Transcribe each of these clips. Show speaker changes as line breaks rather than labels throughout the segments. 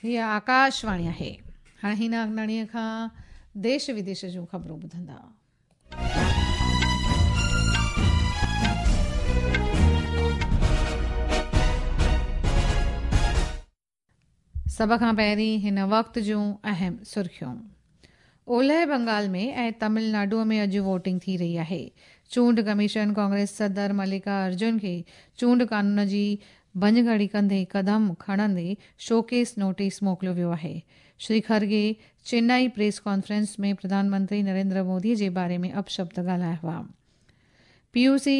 هيء آڪاشواڻي آهي. هاڻي هينا اگناڻيء کان ديش وديش جون خبرون ٻڌندا. سڀ کان پهرين هن وقت جون اهم سرخيون. اولهه بنگال ۾ ۽ تامل ناڊو ۾ اڄ ووٽنگ ٿي رهي آهي. چونڊ ڪميشن ڪانگريس صدر ملڪا ارجن کي چونڊ قانون جي ڀڃڪڙي ڪندي قدم کڻندي شوڪيس نوٽيس موڪليو ويو آهي. شري کرگي چنائي پريس ڪانفرنس ۾ پرڌان منتري نريندر مودي جي باري ۾ اپشبد ڳالهايا هئا. پي يو سي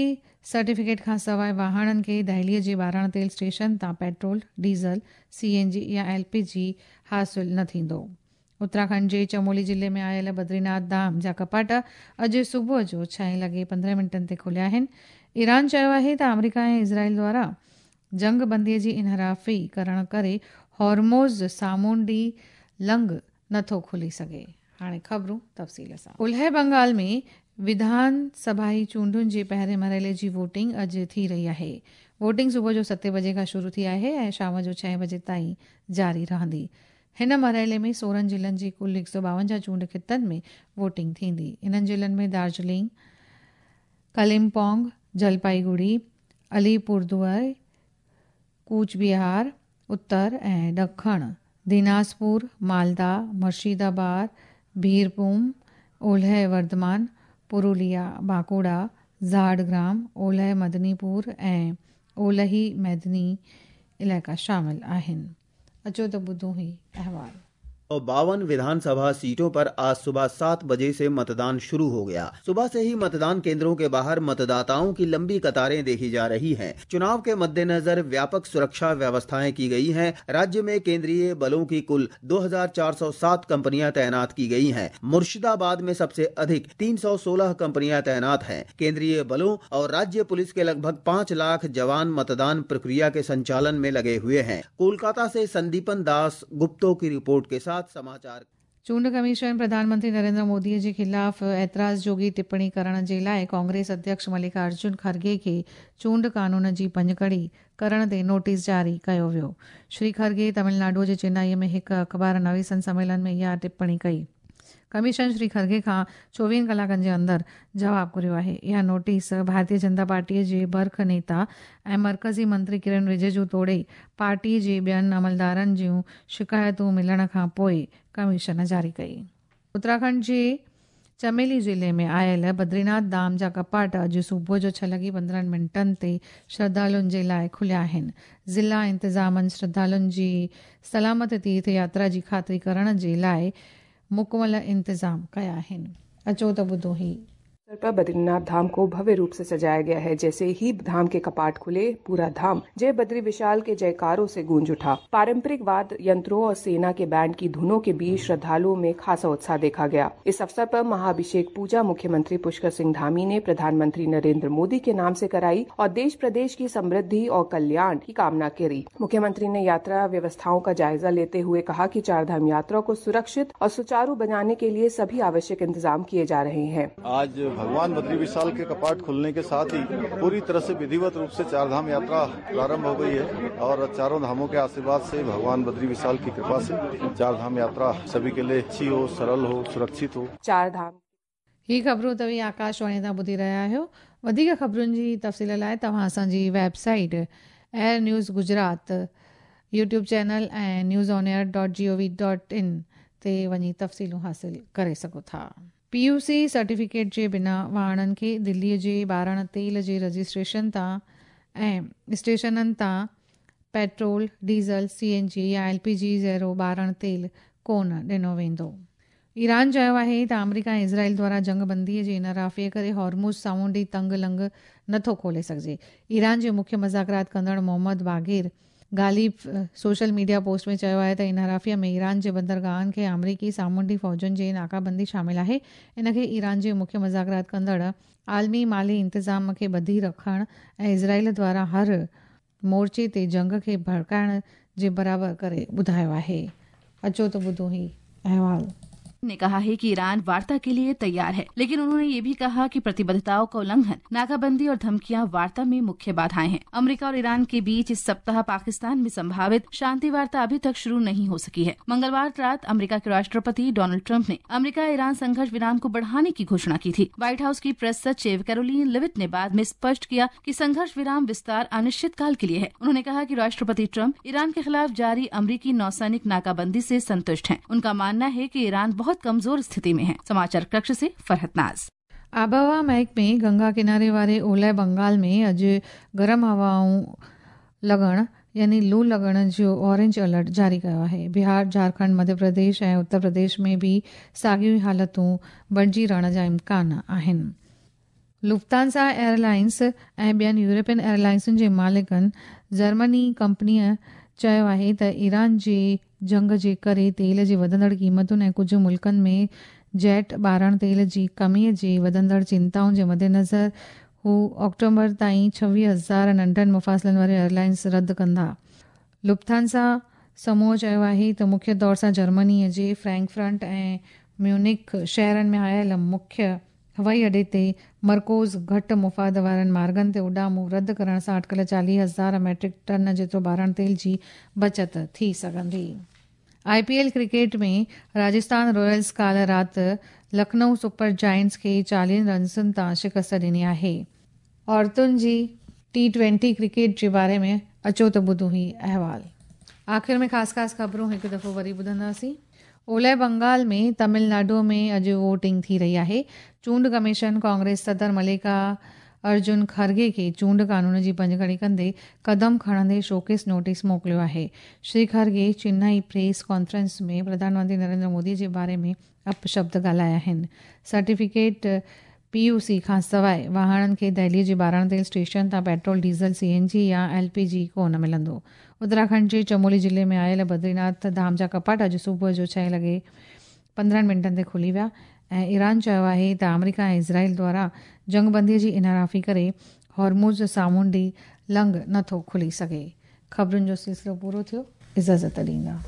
سرٽيفڪيٽ کانسواء واهڻن کي دهلي جي ٻارڻ تيل اسٽيشن تان پيٽرول، ڊيزل، سي اين جي يا ايل پي جي حاصل نه ٿيندو. اتراکنڊ جي چمولي ضلعي ۾ آيل بدريناٿ ڌام جا ڪپاٽ اڄ صبح جو ڇهين لڳي 15 منٽن تي کليا آهن. ايران چيو آهي ته آمريڪا ۽ اسرائيل دواران جنگ بندي جي انحرافي ڪرڻ ڪري هورموز سامونڊي لنگهه نٿو کلي سگهي. هاڻي خبرون تفصيل سان. اولهه بنگال ۾ وڌان سڀائي چونڊن جي پهرين مرحلي جي ووٽنگ اڄ ٿي رهي آهي. ووٽنگ صبح جو ستين بجي کان شروع ٿي آهي ۽ شام جو ڇهين بجي تائين جاري رهندي. هن مرحلي ۾ 16 ضلعن جي ڪل 152 چونڊ خطن ۾ ووٽنگ ٿيندي. انهن ضلعن ۾ دارجلنگ، ڪلمپونگ، جلپائيگڙي، علي پوردوار، ڪوچ بهار، اتر ۽ ڏکڻ ديناسپور، مالدا، مرشيدآباد، بيرڀوم، اولهه ورڌمان، پروليا، بانڪوڙا، جهاڙگرام، اولهه مدني پور ۽ اولهي ميدني علائقا شامل آهن. اچو ته ٻڌون هي احوال.
52 विधानसभा सीटों पर आज सुबह 7 बजे से मतदान शुरू हो गया। सुबह से ही मतदान केंद्रों के बाहर मतदाताओं की लंबी कतारें देखी जा रही हैं। चुनाव के मद्देनजर व्यापक सुरक्षा व्यवस्थाएं की गई हैं। राज्य में केंद्रीय बलों की कुल 2407 कंपनियां तैनात की गई हैं। मुर्शिदाबाद में सबसे अधिक 316 कंपनियां तैनात हैं। केंद्रीय बलों और राज्य पुलिस के लगभग 5 लाख जवान मतदान प्रक्रिया के संचालन में लगे हुए हैं। कोलकाता से संदीपन दास गुप्तो की रिपोर्ट के साथ समाचार।
चूंड कमीशन प्रधानमंत्री नरेंद्र मोदी जे खिलाफ एतराज़ जोगी टिप्पणी करण जे लाइ कांग्रेस अध्यक्ष मल्लिका अर्जुन खड़गे खे चूंड कानून जी भڃڪڙي ڪرڻ تي نوٽيس جاري ڪيو ويو. شري کرگي تامل ناڊو جي چنائي ۾ هڪ اخبار نويسن سميلن ۾ اها ٽپڻي ڪئي. ڪميشن شري کرگي کان 24 ڪلاڪن جي اندر جواب گهريو آهي. اها نوٽيس ڀارتيه جنتا پارٽي جي برک نيتا ۽ مرڪزي منتري ڪرن رجيجو توڙي پارٽي جي ٻين عملدارن جون شڪايتون ملڻ کان پوء ڪميشن جاري ڪئي. اتراکنڊ جي چميلي ضلعي ۾ آيل بدريناٿ ڌام جا ڪپاٽ اڄ صبح جو 6 لڳي 15 منٽن تي شرڌالن جي لاء کليا آهن. ضلع انتظامن شرڌالن جي سلامت تيرٿ ياترا جي خاطري ڪرڻ جي لاء مڪمل انتظام ڪيا آهن. اچو ته ٻڌون هي.
अवसर पर बद्रीनाथ धाम को भव्य रूप से सजाया गया है। जैसे ही धाम के कपाट खुले, पूरा धाम जय बद्री विशाल के जयकारों से गूंज उठा। पारंपरिक वाद्य यंत्रों और सेना के बैंड की धुनों के बीच श्रद्धालुओं में खासा उत्साह देखा गया। इस अवसर पर महाअभिषेक पूजा मुख्यमंत्री पुष्कर सिंह धामी ने प्रधानमंत्री नरेंद्र मोदी के नाम से कराई और देश प्रदेश की समृद्धि और कल्याण की कामना करी। मुख्यमंत्री ने यात्रा व्यवस्थाओं का जायजा लेते हुए कहा कि चारधाम यात्रा को सुरक्षित और सुचारू बनाने के लिए सभी आवश्यक इंतजाम किए जा रहे हैं।
आज भगवान बद्री विशाल के कपाट खुलने के साथ ही पूरी तरह से विधिवत रूप से चारधाम यात्रा प्रारंभ हो गई है और चारों धामों के आशीर्वाद से भगवान बद्री विशाल की कृपा से चारधाम यात्रा सभी के लिए अच्छी हो, सरल हो, सुरक्षित हो।
चारधाम
ही ख़बरूं तव्हीं आकाशवाणी तां ॿुधी रहिया आहियो। वधीक ख़बरुनि जी तफ़सील लाइ तव्हां असांजी website air news Gujarat, YouTube channel ऐं news on air dot G O V dot in ते वञी तफ़सीलूं हासिल करे सघो था। पी यू सी सर्टिफिकेट जे बिना वाहननि खे दिल्लीअ जे ॿारण तेल जे रजिस्ट्रेशन तां ऐं स्टेशननि तां petrol, diesel, C N G या एल पी जी जहिड़ो ॿारण तेल कोन ॾिनो वेंदो। ईरान चयो आहे त आमरीका ऐं इज़राइल द्वारा जंग बंदीअ जे इनराफ़ीअ करे हॉर्मुज़ सामुंडी तंग लंघ नथो खोले सघिजे। ईरान जे मुख्य मुज़ाकरात कंदड़ Mohammad Bagher Ghalibaf social media post में चयो आहे त इनराफ़ीअ में ईरान जे बंदरगाहनि खे आमरीकी सामुंडी फ़ौजुनि जी नाकाबंदी शामिल आहे। इन खे ईरान जे मुख्य मुज़ाकरात कंदड़ आलमी माली इंतज़ाम खे ॿधी रखण ऐं इज़राइल द्वारा हर मोर्चे ते जंग खे भड़काइण जे बराबरि करे ॿुधायो आहे। अचो त ॿुधूं ही अहवाल।
ने कहा है कि ईरान वार्ता के लिए तैयार है, लेकिन उन्होंने ये भी कहा कि प्रतिबद्धताओं का उल्लंघन, नाकाबंदी और धमकियां वार्ता में मुख्य बाधाएं हैं। अमेरिका और ईरान के बीच इस सप्ताह पाकिस्तान में संभावित शांति वार्ता अभी तक शुरू नहीं हो सकी है। मंगलवार रात अमेरिका के राष्ट्रपति डोनाल्ड ट्रंप ने अमेरिका ईरान संघर्ष विराम को बढ़ाने की घोषणा की थी। व्हाइट हाउस की प्रेस सचिव कैरोलिन लिविट ने बाद में स्पष्ट किया कि संघर्ष विराम विस्तार अनिश्चित काल के लिए है। उन्होंने कहा कि राष्ट्रपति ट्रंप ईरान के खिलाफ जारी अमरीकी नौसैनिक नाकाबंदी से संतुष्ट हैं। उनका मानना है कि ईरान बहुत कमजोर स्थिति में है। समाचार कक्ष से फरहत नाज।
आबहवा महकमे गंगा किनारे वारे ओलह बंगाल में अॼु गरम हवाऊं लॻण यानी लू लॻण जो ऑरेंज अलर्ट जारी कयो आहे। बिहार, झारखंड, मध्य प्रदेश ऐं उत्तर प्रदेश में बि साॻियूं ई हालतूं बणिजी रहण जा इम्कान आहिनि। लुफ्तांसा एयरलाइंस ऐं ॿियनि यूरोपियन एयरलाइंसुनि जे मालिकनि जर्मनी कंपनीअ चयो आहे त ईरान जे जंग जे करे तेल जी वधंदड़ क़ीमतुनि ऐं कुझु मुल्कनि में जेट ॿारण तेल जी कमीअ जी वधंदड़ चिंताउनि जे मद्देनज़र हू ऑक्टोबर ताईं 26,000 नंढनि मुफ़ासिलनि वारे एयरलाइंस रद्द कंदा। लुफ्तांसा समूह चयो आहे त मुख्य तौर सां जर्मनीअ जे फ्रैंकफर्ट ऐं म्यूनिख शहरनि में आयल मुख्य हवाई अॾे ते मरकूज़ घटि मुफ़ाद वारनि मार्गनि ते उॾामूं रद्द करण सां अटकल 40,000 मैट्रिक टन जेतिरो ॿारण तेल जी बचत थी सघंदी। आईपीएल क्रिकेट में राजस्थान रॉयल्स काल्ह राति लखनऊ सुपर जायंट्स खे 40 रन्सुनि तां शिकस्त ॾिनी आहे। औरतुनि जी T20 cricket जे बारे में अचो त ॿुधूं ही अहवाल। आख़िर में ख़ासि ख़ासि ख़बरूं हिकु दफ़ो वरी ॿुधंदासीं। ओलह बंगाल में तमिलनाडु में अॼु वोटिंग थी रही आहे। चूंड कमीशन कांग्रेस सदर मलिका अर्जुन खड़गे खे चूंड कानून जी भञकड़ी कंदे कदम खणंदे शोकेस नोटिस मोकिलियो आहे। श्री खड़गे चेन्नई प्रेस कॉन्फ्रेंस में प्रधानमंत्री नरेंद्र मोदी जे बारे में अपशब्द ॻाल्हाया आहिनि। सर्टिफिकेट पीयूसी खां सवाइ वाहणनि खे दिल्लीअ जे 12 तेल स्टेशन तां पेट्रोल, डीज़ल, सीएनजी या एलपीजी कोन मिलंदो। उत्तराखंड जे चमोली ज़िले में आयल बद्रीनाथ धाम जा कपाट अॼु सुबुह जो 6:15 ते खुली विया ऐं ईरान चयो आहे त आमेरिका ऐं इज़राइल द्वारा जंगबंदीअ जी इनहराफ़ी करे हॉर्मुज़ सामुंडी लंघ नथो खुली सघे। ख़बरुनि जो सिलसिलो पूरो थियो। इजाज़त ॾींदा।